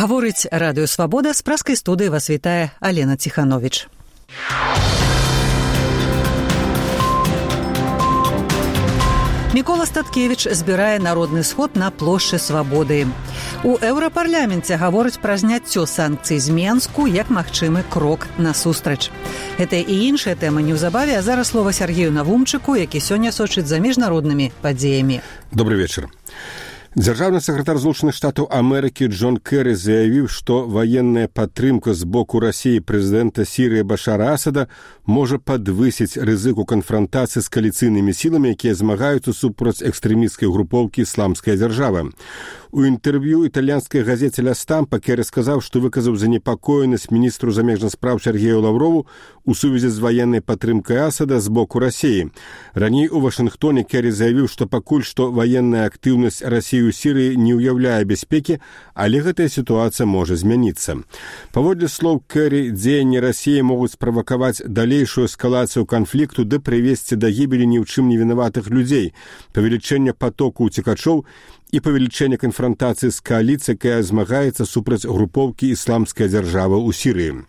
Гаворыць Радыё Свабода, з праскай студыі вас вітае Алена Ціхановіч. Мікола Статкевіч збірае народны сход на плошчы Свабоды. У Еўрапарляменце гавораць пра зняццё санкцый з Менску як магчымы крок насустрач. Гэта і іншыя тэмы неўзабаве, а зараз слова Сергею Навумчыку, які сёння сочыць за міжнароднымі падзеямі. Добрый вечер. Дзяржаўны сакратар Злучаных Штатаў Амерыкі Джон Кэры заявіў, што ваенная падтрымка з боку Расіі прэзідэнта Сірыі Башара Асада можа падвысіць рызыку канфрантацыі з кааліцыйнымі сіламі, якія змагаюцца супраць экстрэмісцкай групоўкі «Ісламская дзяржава». У інтэрв'ю італьянскай газеце «Ля Стампа» Кэры сказаў, што выказаў занепакоенасць міністру замежных спраў Сергею Лаўрову у сувязі з ваеннай падтрымкай Асада з боку Расіі. Раней у Вашынгтоне Кэры заявіў, што пакуль што ваенная актыўнасць Расіі ў Сірыі не ўяўляе бяспекі, але гэтая сітуацыя можа змяніцца. Паводле слоў Кэры, дзеянні Расіі могуць справакаваць далейшую эскалацыю канфлікту ды прывесці да гібелі ні ў чым не вінаватых людзей, павелічэння патоку ўцекачоў і павелічэння канфрантацыі з кааліцыяй, якая змагаецца супраць групоўкі «Ісламская дзяржава» ў Сірыі.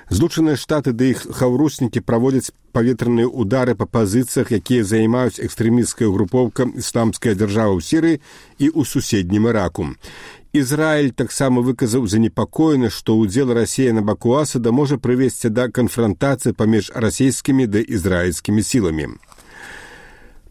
Злучаныя Штаты ды іх хаўруснікі праводзяць паветраныя ўдары па пазіцыях, якія займаюць экстрэмісцкая групоўка «Ісламская дзяржава» ў Сірыі і ў суседнім Іраку. Ізраіль таксама выказаў занепакоенасць, што ўдзел Расіі на баку Асада можа прывесці да канфрантацыі паміж расійскімі ды ізраільскімі сіламі.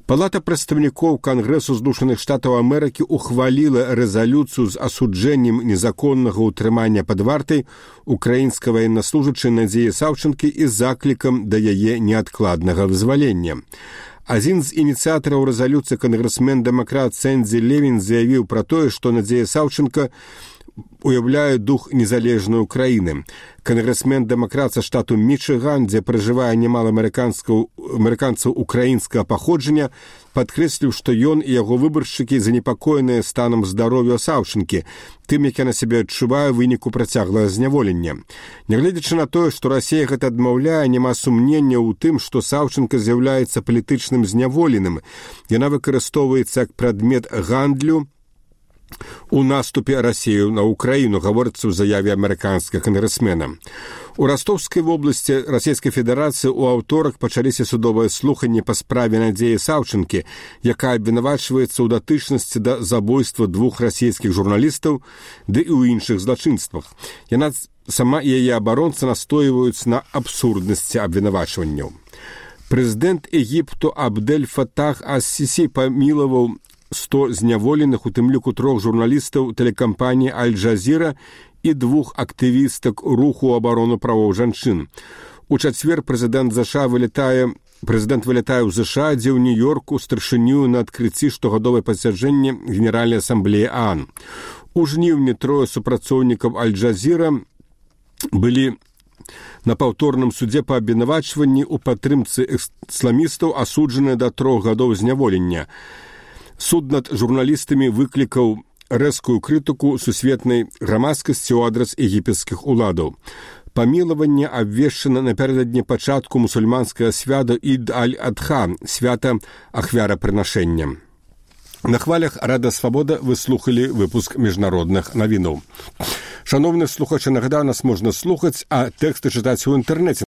Палата прадстаўнікоў Кангрэсу Злучаных Штатаў Амерыкі ухваліла рэзалюцыю з асуджэннем незаконнага ўтрымання пад вартай украінскай ваеннаслужачай Надзеі Саўчанкі і заклікам да яе неадкладнага вызвалення. Адзін з ініцыятараў рэзалюцыі кангрэсмен-дэмакрат Сэнді Левін заявіў пра тое, што Надзея Саўчанка уяўляе дух незалежнай Украіны. Кангрэсмен-дэмакрат са штату Мічыган, дзе пражывае немало амерыканцаў украінскага паходжання, падкрэсліў, што ён і яго выбаршчыкі занепакоеныя станам здароўя Саўчанкі, тым, як яна сябе адчувае ў выніку працяглага зняволення. Нягледзячы на тое, што Расія гэта адмаўляе, няма сумнення ў тым, што Саўчанка з'яўляецца палітычным зняволеным. Яна выкарыстоўваецца як прадмет гандлю у наступе Расію на Украіну, гаворыцца ў заяве амерыканскага кангрэсмена. У Ростовскай вобласці Расійскай Федэрацыі ў аўторак пачаліся судовыя слуханні па справе Надзеі Саўчанкі, якая абвінавачваецца ў датычнасці да забойства 2 расійскіх журналістаў ды і ў іншых злачынствах. Яна сама і яе абаронца настойваюць на абсурднасці абвінавачванняў. Прэзідэнт Егіпту Абдель Фатах ас-Сісі памілаваў 100 зняволеных, у тым ліку 3 журналістаў тэлекампаніі «Аль-Джазіра» і 2 актывістак руху абароны правоў жанчын. У чацвер прэзідэнт вылятае ў ЗША, дзе ў Нью-Йорку старшыню на адкрыцці штогадовае пасяджэння Генеральнай асамблеі ААН. У жніўні 3 супрацоўнікаў «Аль-Джазіра» былі на паўторным судзе па абвінавачванні ў падтрымцы ісламістаў, асуджаныя да 3 гадоў зняволення. Суд над журналістамі выклікаў рэзкую крытыку сусветнай грамадскасці ў адрас егіпецкіх уладаў. Памілаванне абвешчана напярэдадні пачатку мусульманскага свята Ід аль-Адха, свята ахвярапрынашэння. На хвалях Рада Свабода вы слухалі выпуск міжнародных навінаў. Шановны слухачы, нагадаю, нас можна слухаць, а тэксты чытаць у інтэрнэце.